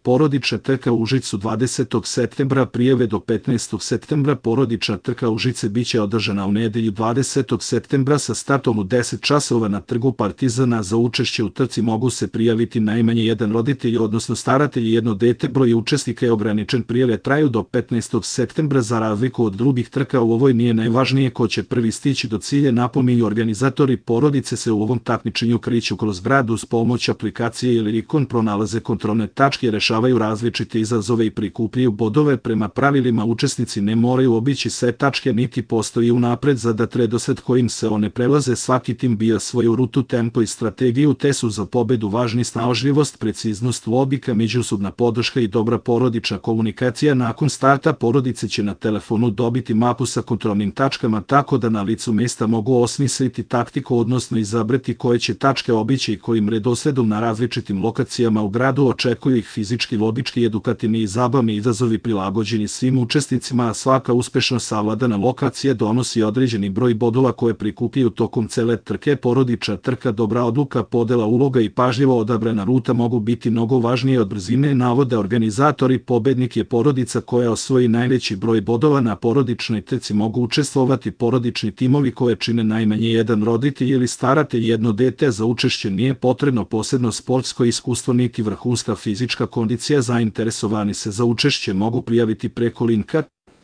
Porodična trka u Užicu 20. septembra, prijave do 15. septembra. Porodična trka Užice biće održana u nedelju 20. septembra sa startom u 10 časova na Trgu Partizana. Za učešće u trci mogu se prijaviti najmanje jedan roditelj, odnosno staratelj i jedno dete. Broj učesnika je ograničen, prijave traju do 15. septembra. Za razliku od drugih trka u ovoj nije najvažnije ko će prvi stići do cilja, napominju organizatori. Porodice se u ovom takmičenju kreću kroz grad uz pomoć aplikacije ili ikon, pronalaze kontrolne tačke, rešavaju različite izazove i prikupljaju bodove. Prema pravilima učesnici ne moraju obići sve tačke, niti postoji unapred zadat redosled kojim se one prelaze. Svaki tim bija svoju rutu, tempo i strategiju, te su za pobedu važni snalažljivost, preciznost, logika, međusobna podrška i dobra porodična komunikacija. Nakon starta porodice će na telefonu dobiti mapu sa kontrolnim tačkama, tako da na licu mesta mogu osmisliti taktiku, odnosno izabrati koje će tačke obići i kojim redosledom. Na različitim lokacijama u gradu očekuju ih fizički, logički, edukativni i zabavni izazovi prilagođeni svim učesnicima, a svaka uspešno savladana lokacija donosi određeni broj bodova koje prikupljaju tokom cele trke. Porodična trka, dobra odluka, podela uloga i pažljivo odabrana ruta mogu biti mnogo važnije od brzine, navode organizatori. Pobednik je porodica koja osvoji najveći broj bodova. Na porodičnoj trci mogu učestvovati porodični timovi koje čine najmanje jedan roditelj ili staratelj, jedno dete. Za učešće nije potrebno posebno sportsko iskustvo niti vrhunska fizička kondicija. Zainteresovani se za učešće mogu prijaviti preko linka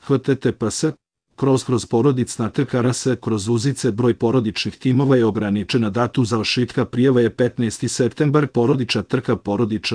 https://porodicna trka rs Uzice. Broj porodičnih timova je ograničena, datum završetka prijava je 15. septembar. Porodična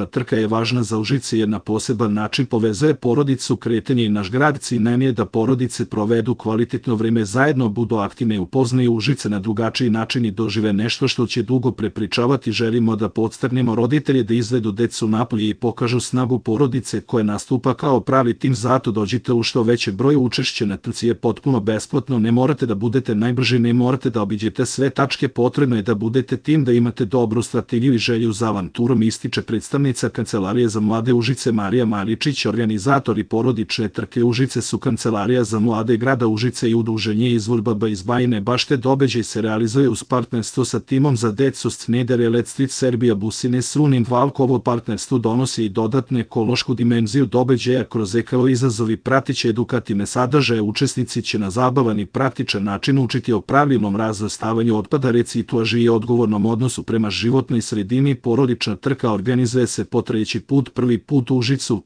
trka je važna za Užice jer na poseban način povezuje porodicu, kretanje i naš grad. Cilj nam je da porodice provedu kvalitetno vreme zajedno, budu aktivne, upoznaju Užice na drugačiji način i dožive nešto što će dugo prepričavati. Želimo da podstaknemo roditelje da izvedu decu napolje i pokažu snagu porodice koja nastupa kao pravi tim. Zato dođite u što veće broju. Učešće na trci je potpuno besplatno, ne morate da budete najbrži, ne morate da obiđete sve tačke, potrebno je da budete tim, da imate dobru strategiju i želju za avanturom, ističe predstavnica Kancelarije za mlade Užice Marija Maričić. Organizatori porodične trke Užice su Kancelarija za mlade grada Užice i Udruženje Izvorbaba iz Bajine Bašte. Događaj se realizuje uz partnerstvo sa timom za decu Schneider Electric Serbia Busines Runin Valk. Ovo partnerstvo donosi i dodatnu ekološku dimenziju događaja kroz ekolo izazovi, pratiće edukativne sadržaje. Učesnici će na zabavan i praktičan način učiti o pravilnom razvrstavanju otpada, reciklaži i odgovornom odnosu prema životnoj sredini. Porodična trka organizuje se po treći put, prvi put u Užicu.